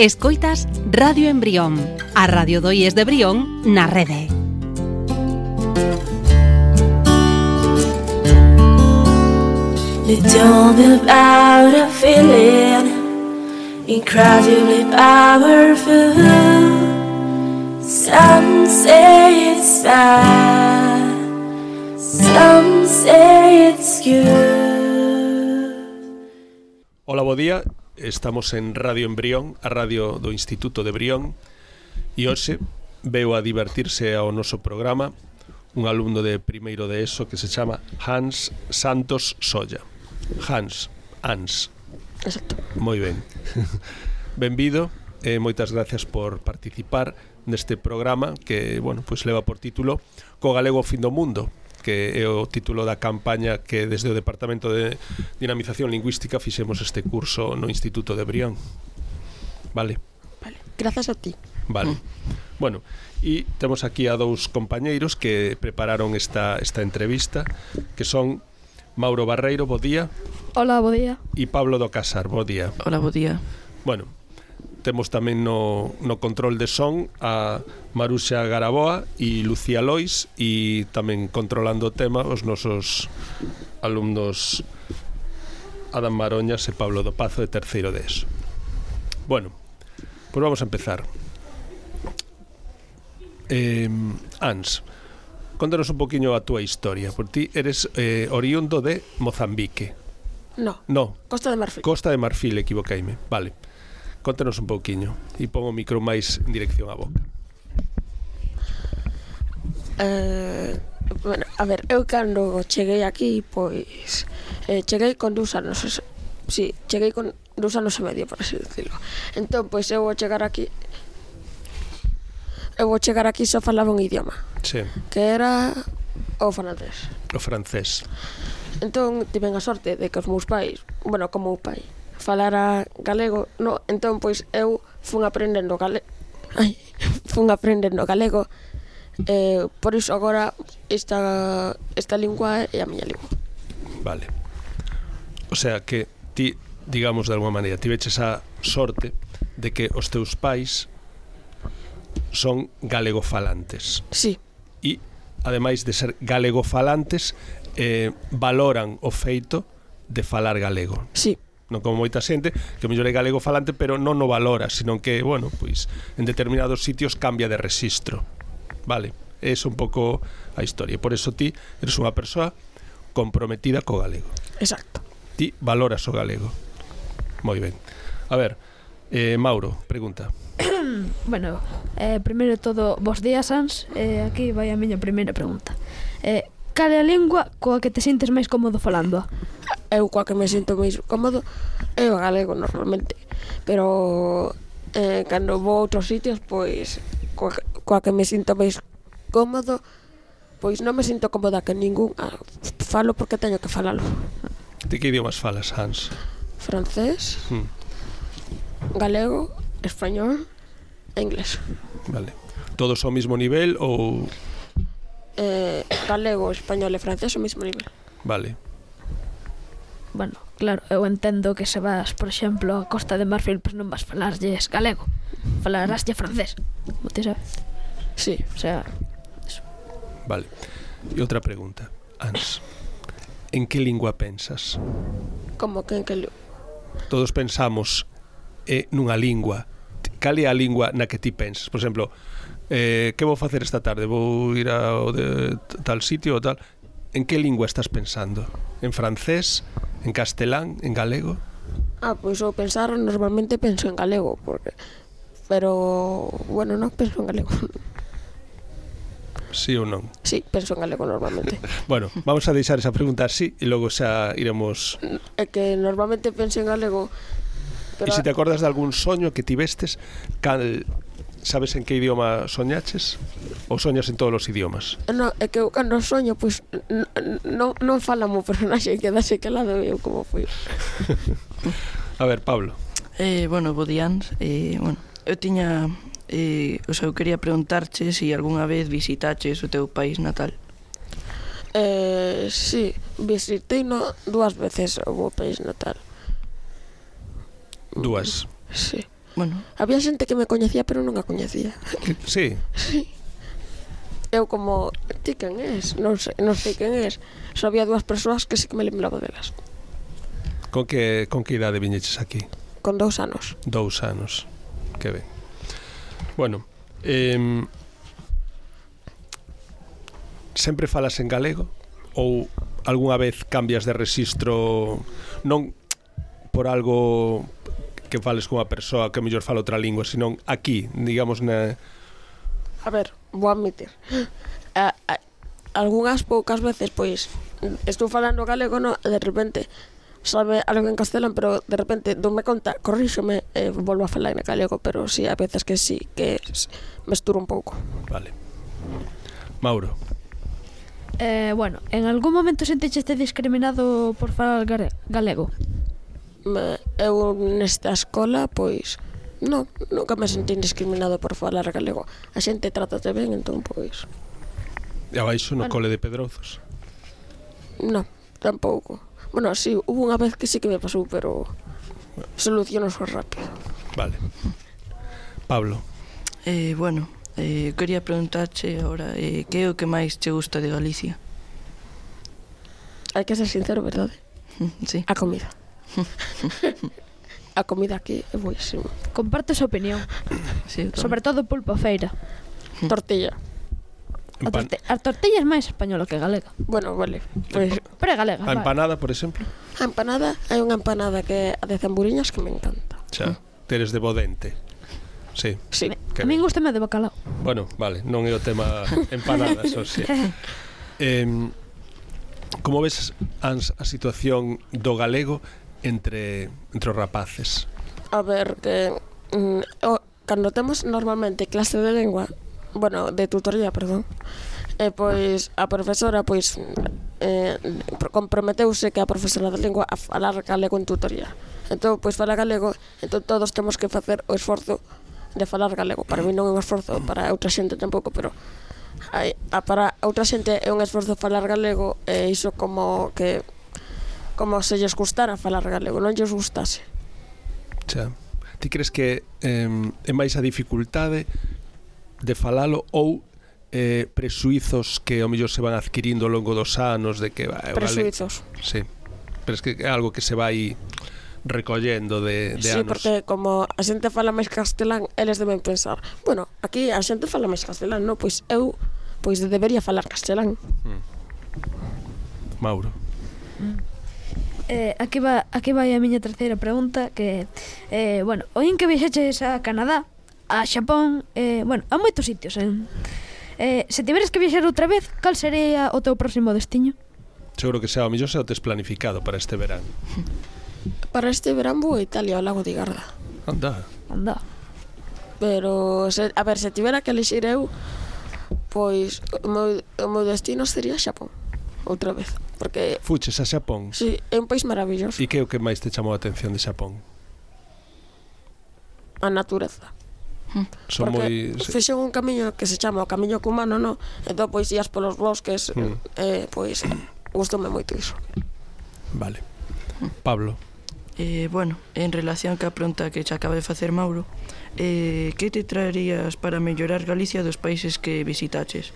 Escoitas Radio Embrión, a radio do IES de Brión na rede. They told me about a feeling incredibly powerful. Some say it's bad, some say it's good. Hola, bo día. Estamos en Radio Embrión, a radio do Instituto de Brión, e hoxe veo a divertirse ao noso programa un alumno de primeiro de ESO que se chama Hans Santos Solla. Hans. Exacto. Moi ben. Benvido e moitas gracias por participar neste programa que, bueno, pois leva por título Co galego ao fin do mundo, que é o título da campaña que desde o Departamento de Dinamización Lingüística fixemos este curso no Instituto de Brión. Vale? Vale, grazas a ti. Vale. Bueno, e temos aquí a dous compañeiros que prepararon esta entrevista, que son Mauro Barreiro, bo día. Hola, bo día. E Pablo do Casar, bo día. Hola, bo día. Bueno, temos tamén no control de son a Maruxa Garaboa e Lucía Lois, e tamén controlando o tema os nosos alumnos Adam Maroñas e Pablo do Pazo de terceiro de ESO. Bueno, pois vamos a empezar. Ans, contanos un poquinho a túa historia. Por ti eres oriundo de Mozambique. No, Costa de Marfil. Costa de Marfil, equivocaime. Vale. Contanos un pouquiño e pon o micro máis en dirección á boca. Bueno, a ver, eu cando cheguei aquí, pois cheguei con 2 anos. Sí, cheguei con 2 anos e medio, por así decirlo. Entón, pois eu vou chegar aquí só falaba un idioma. Sí. Que era o francés. O francés. Entón, tiven a sorte de que os meus pais, bueno, como o pai falara galego, no, entón pois eu fun aprendendo galego. Por iso agora esta lingua é a miña lingua. Vale. O sea que ti, digamos de alguma maneira, tiveches a sorte de que os teus pais son galegofalantes. Sí. E ademais de ser galegofalantes, valoran o feito de falar galego. Sí. Non como moita xente que mellor é galego falante pero non o valora, sino que, bueno, pois en determinados sitios cambia de rexistro. Vale, é un pouco a historia. Por eso ti eres unha persoa comprometida co galego. Exacto. Ti valoras o galego. Moi ben. A ver, Mauro, pregunta. Bueno, primeiro de todo, bos días, Ans. Aquí vai a miña primeira pregunta. Cal é a lingua coa que te sintes máis cómodo falando? Eu coa que me sinto máis cómodo é o galego normalmente, pero cando vou a outros sitios, pois coa que me sinto máis cómodo, pois non me sinto cómoda que ningún falo porque teño que falalo. De que idiomas falas, Hans? Francés, galego, español e inglés. Vale. Todos ao mesmo nivel ou... Galego, español e francés ao mesmo nivel. Vale. Bueno, claro, eu entendo que se vas, por exemplo, a Costa de Marfil, pois non vas falarlles galego, falaráslle francés. Ti sabes? Sí. O sea, eso. Vale. E outra pregunta, Ans. En que lingua pensas? Como que en que lingua? Todos pensamos nunha lingua. Cal é a lingua na que ti pensas? Por exemplo, que vou facer esta tarde? Vou ir ao de tal sitio ou tal? En que lingua estás pensando? En francés? En castelán? En galego? Pois eu pensar normalmente penso en galego, pero bueno, non penso en galego. Sí ou non? Sí, penso en galego normalmente. Bueno, vamos a deixar esa pregunta así e logo xa iremos... É que normalmente penso en galego, pero... E se te acordas de algún soño que tivestes, sabes en que idioma soñaches? Ou soñas en todos os idiomas? Non, é que eu cando soño, pois non fala mo personaxe, quedase calado eu como foi. A ver, Pablo. Bueno, bo días. Bueno, eu tiña... eu quería preguntarche se algunha vez visitaches o teu país natal. Sí, visitei 2 veces o meu país natal. Dúas? Sí. Bueno, Había xente que me coñecía, pero non a coñecía. Sí, Eu como, ti quen és? Non sei quen és. Só había 2 persoas que sí que me lembraba delas. con que idade viñeches aquí? Con 2 anos. 2 anos. Que ben. Bueno, sempre falas en galego ou algunha vez cambias de rexistro, non por algo que fales cunha persoa que mellor fala outra lingua, senón aquí, digamos, A ver, vou admitir. Algunhas poucas veces, pois, estou falando galego, no, e de repente sabe algo en castelán, pero de repente doume conta, corríxome e volvo a falar en galego, pero sí, a veces que sí, que mesturo un pouco. Vale. Mauro. Bueno, en algún momento sentiste discriminado por falar galego? Eu nesta escola, pois, non, nunca me sentí discriminado por falar galego. A xente trátate ben, entón, pois, E abaixo no cole de Pedrozos. non, tampouco. Bueno, sí, hubo unha vez que sí que me pasou, pero soluciono rápido. Vale. Pablo. bueno, quería preguntarche agora que é o que máis che gusta de Galicia? Hai que ser sincero, verdade? Sí. A comida. A comida aquí é buenísima. Comparto esa opinión. Sí, Sobre todo pulpo feira. Tortilla. A tortilla é máis española que galega. Bueno, vale. Pois Pero é galega. A empanada, por exemplo. a empanada, hai unha empanada que é a de zamburiñas que me encanta. Xa, teres de bodente. Sí. Sí. Que A min ben. gustame de bacalao. Bueno, vale, non é o tema empanadas, o sí. Como ves a situación do galego entre os rapaces? A ver, que cando temos normalmente clase de lengua, bueno, de tutoría, perdón, pois a profesora pois comprometeuse que a profesora de lengua a falar galego en tutoría. Entón, pois fala galego, entón todos temos que facer o esforzo de falar galego. Para mí non é un esforzo, para outra xente tampouco, pero para outra xente é un esforzo falar galego, e iso como que como se lles gustara falar galego, non lles gustase. Xa. Ti crees que é máis a dificultade de falalo ou presuizos que ao mellor se van adquirindo ao longo dos anos de que Presuizos. Sí. Pero es que é algo que se vai recollendo de Sí, anos. porque como a xente fala máis castelán, eles deben pensar, bueno, aquí a xente fala máis castelán, non? Pois eu debería falar castelán. Mauro. Aquí vai a miña terceira pregunta, que bueno, oín que viaxeches a Canadá, a Xapón, bueno, a moitos sitios. Se tiveres que viaxar outra vez, cal sería o teu próximo destiño? Seguro que xa o mellor xa o tes planificado para este verán. Para este verán vou a Italia, ao lago de Garda. Anda. Anda. Pero, a ver, se tivera que elixir eu, pois o meu destino sería Xapón, outra vez. Porque, Fuches a Xapón. sí, é un país maravilloso. E que é o que máis te chamou a atención de Xapón? A natureza. Son Porque moi... fixen un camiño que se chama o Camiño Cumano, no? Entón, pois, ías polos bosques, pois, gustoume moito iso. Vale. Pablo. Bueno, en relación ca pregunta que xa acaba de facer Mauro, que te traerías para mellorar Galicia dos países que visitaches?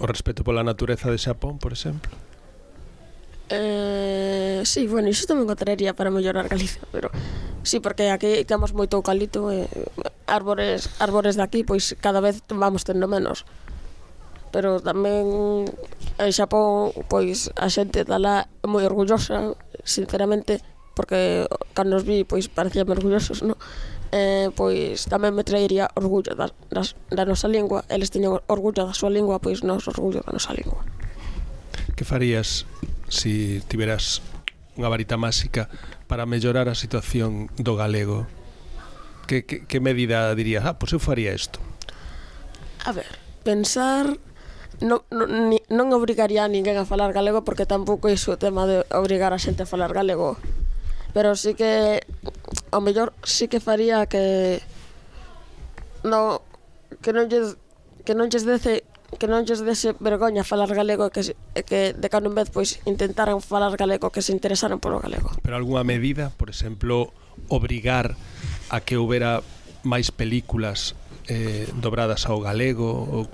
O respeto pola natureza de Xapón, por exemplo. Sí, bueno, iso tamén o traería para mellorar Galicia, pero sí, porque aquí temos moito eucalipto, árbores de aquí, pois cada vez vamos tendo menos. Pero tamén en Xapón, pois a xente dala moi orgullosa, sinceramente, porque cando os vi, pois parecían orgullosos, non? Pois tamén me traería orgullo da nosa lingua. Eles teñen orgullo da súa lingua, pois nos orgullo da nosa lingua. Que farías si tiveras unha varita máxica para mellorar a situación do galego? Que medida dirías? Pois eu faría isto. A ver, pensar... Non obrigaría a ninguén a falar galego, porque tampouco é o tema de obrigar a xente a falar galego. Pero sí que ao mellor sí que faría que non lles dece non lles dese vergoña falar galego, que de cando en vez pois intentaran falar galego, que se interesaran polo galego. Pero algunha medida, por exemplo, obrigar a que houbera máis películas dobradas ao galego ou...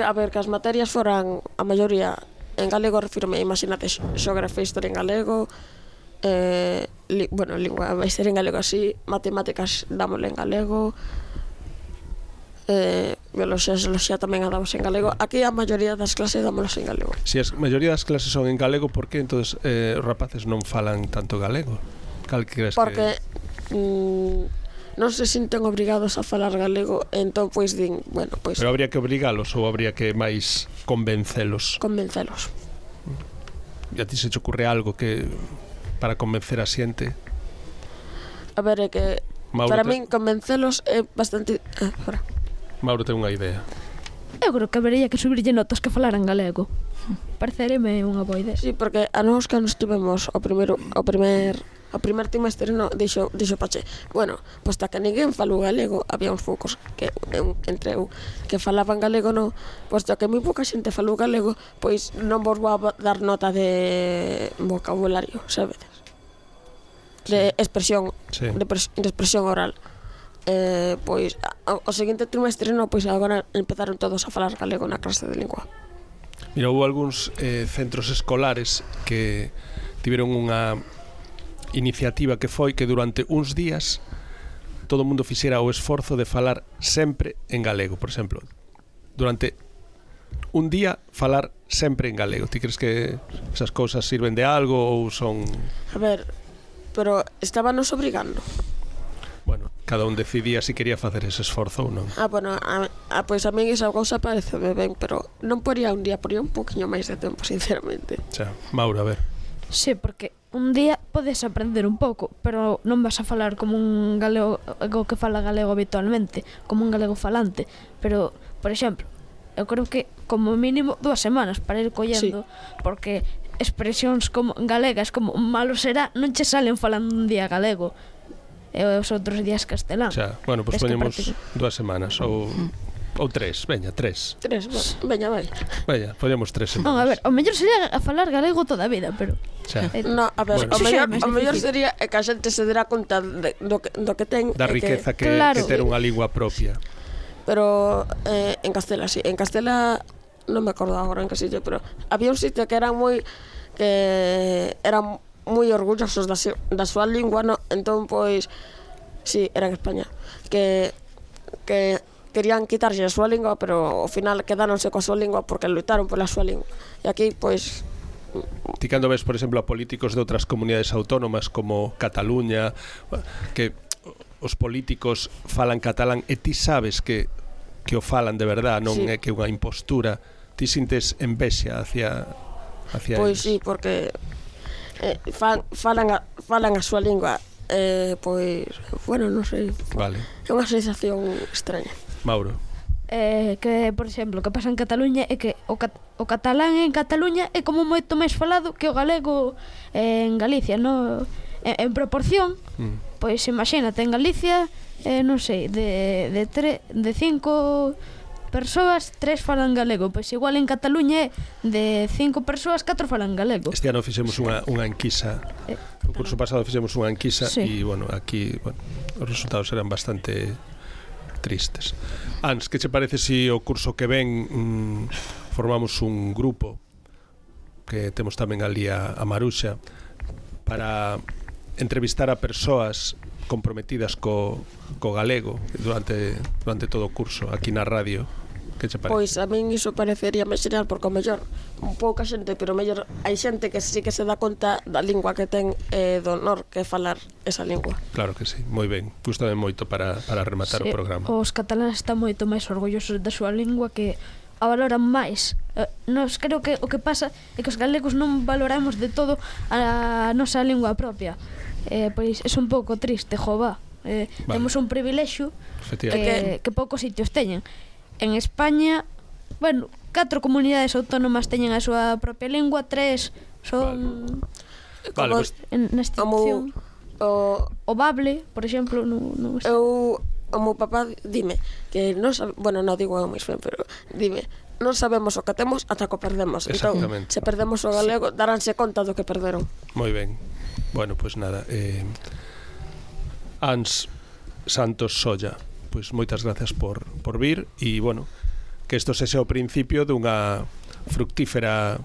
A ver, que as materias foran a maioría en galego, refírome, imagínate, xeografía e historia en galego, lingua vai ser en galego así, matemáticas dámosle en galego, bioloxía e zooloxía tamén a damos en galego. Aquí a maioría das clases dámolas en galego. Se a maioría das clases son en galego, por que entonces os rapaces non falan tanto galego? Cal crees porque non se sinten obrigados a falar galego, entón pois din, bueno, pois... Pero habría que obrigalos ou habría que máis convencelos? Convencelos. E a ti se te ocurre algo que para convencer a xente? A ver, é que Mauro, para min convencelos é bastante... Mauro ten unha idea. Eu creo que habería que subirlle notas que falaran galego. Parecereme unha boa idea. Sí, porque a nós cando estivemos o primer trimestre dixo Pache, bueno, pois que ninguén falou galego, había uns poucos que entre eu que falaban galego, no, posto que moi pouca xente falou galego, pois non vos vou a dar nota de vocabulario, sabedes? De expresión, sí. de expresión oral. Pois o seguinte trimestre pois agora empezaron todos a falar galego na clase de lingua. Mira, houve algúns centros escolares que tiveron unha iniciativa que foi que durante uns días todo o mundo fixera o esforzo de falar sempre en galego, por exemplo. Durante un día falar sempre en galego. Ti crees que esas cousas sirven de algo ou son... A ver, pero estábanos obrigando. Bueno, cada un decidía se quería facer ese esforzo ou non. Bueno, pois a min esa cousa pareceme ben, pero non poría un día, poría un poquinho máis de tempo, sinceramente. Xa, Mauro, a ver. Sí, porque un día podes aprender un pouco, pero non vas a falar como un galego que fala galego habitualmente, como un galego falante. Pero, por exemplo, eu creo que como mínimo 2 semanas para ir collendo, sí. Porque expresións como galegas como malo será non che salen falando un día galego e os outros días castelán. Xa, bueno, pois poñemos 2 semanas ou 3, veña, 3. 3, veña, vai. Veña, poñemos 3 semanas. Non, a ver, o mellor sería a falar galego toda a vida, pero... No, a ver, bueno. o mellor sería que a xente se dera conta do que ten... Da riqueza que ter unha lingua propia. Pero en Castela, sí. En Castela, non me acordo agora en que sitio, pero había un sitio que eran moi orgullosos da súa lingua, no? Entón, pois, sí, era en España, que querían quitarse a súa lingua, pero ao final quedáronse coa súa lingua porque lutaron pola súa lingua. E aquí, pois... Ti cando ves, por exemplo, a políticos de outras comunidades autónomas como Cataluña, que os políticos falan catalán e ti sabes que o falan de verdad, non sí. É que unha impostura, ti sintes envexa hacia pois eles. Sí, porque falan a súa lingua, pois, bueno, non sei. Vale. É unha sensación extraña. Mauro. Que, por exemplo, o que pasa en Cataluña é que o catalán en Cataluña é como moito máis falado que o galego en Galicia, no? En proporción, pois imagínate, en Galicia, non sei, de 5 persoas, 3 falan galego, pois igual en Cataluña de 5 persoas, 4 falan galego. Este ano fixemos unha enquisa, o curso pasado fixemos unha enquisa, sí. E, bueno, aquí os resultados eran bastante tristes. Ans, que che parece se o curso que ven formamos un grupo que temos tamén ali a Maruxa para entrevistar a persoas comprometidas co galego durante todo o curso aquí na radio? Que che parece? Pois a min iso parecería máis genial, porque o mellor pouca xente, pero mellor hai xente que sí que se dá conta da lingua que ten, do honor que falar esa lingua. Claro que sí, moi ben. Gústame moito para rematar sí, o programa. Os cataláns están moito máis orgullosos da súa lingua, que a valoran máis. Nos creo que o que pasa é que os galegos non valoramos de todo a nosa lingua propia. Pois é un pouco triste, jova. Vale. Temos un privilexio que poucos sitios teñen. En España, bueno, 4 comunidades autónomas teñen a súa propia lingua, 3 son... Vale, pues... nesta opción. O bable, por exemplo, non sei. O meu papá dime que non sabe, bueno, non digo eu máis ben, pero dime non sabemos o que temos ata que o perdemos. Entón, Exactamente. se perdemos o galego, daránse conta do que perderon. Moi ben. Bueno, pois nada, Ans Santos Solla, pois moitas gracias por vir e, bueno, que isto sexa o principio dunha fructífera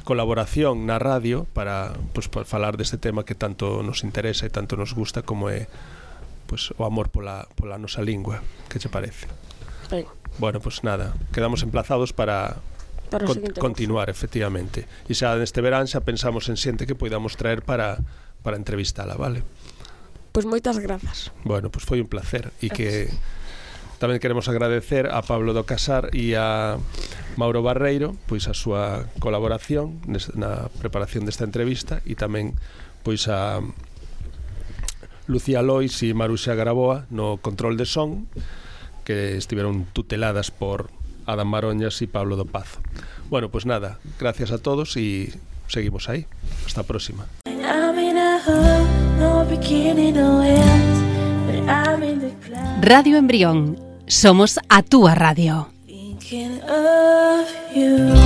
colaboración na radio para, pois, para falar deste tema que tanto nos interesa e tanto nos gusta como é, pois, o amor pola nosa lingua. Que che parece? Ben, Bueno, pois nada, quedamos emplazados para o seguinte continuar, efectivamente. E xa neste verán xa pensamos en xente que poidamos traer para entrevistala, vale? Pois moitas grazas. Bueno, pois foi un placer e que tamén queremos agradecer a Pablo do Casar e a Mauro Barreiro pois a súa colaboración na preparación desta entrevista e tamén pois a Lucía Lois e Maruxa Garaboa no control de son, que estiveron tuteladas por Adam Maroñas e Pablo do Pazo. Bueno, pois nada, gracias a todos e seguimos aí. Hasta a próxima. I'm in a hole, no beginning, no end, but I'm in the clouds, Radio Embrión. Somos a túa radio. thinking of you.